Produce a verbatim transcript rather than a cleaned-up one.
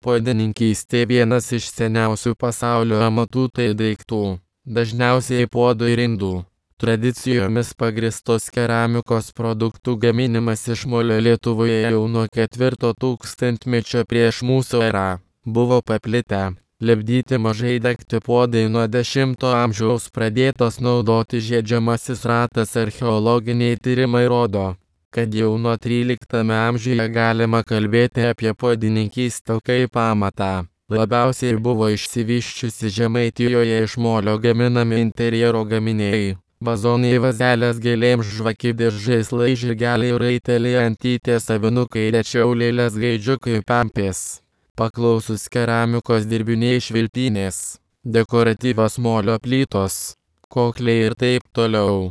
Puodininkystė vienas iš seniausių pasaulio amatų, tai daiktų, dažniausiai puodų ir indų, tradicijomis pagristos keramikos produktų gaminimas iš molio Lietuvoje jau nuo ketvirto tūkstantmečio prieš mūsų erą buvo paplitę. Lipdyti mažai degti puodai nuo dešimto amžiaus pradėtos naudoti žiedžiamasis ratas. Archeologiniai tyrimai rodo, kad jau nuo tryliktame amžiuje galima kalbėti apie puodininkystę kaip amatą. Labiausiai buvo išsivysčiusi Žemaitijoje iš molio gaminami interjero gaminiai. Vazonai, vazelės gėlėms, žvakidės, žaislai, žirgeliai, raiteliai, antytės, avinukai, rečiau lėlės, gaidžiukai, pempės. Paklausus keramikos dirbiniai, švilpynės, dekoratyvios molio plytos, kokliai ir taip toliau.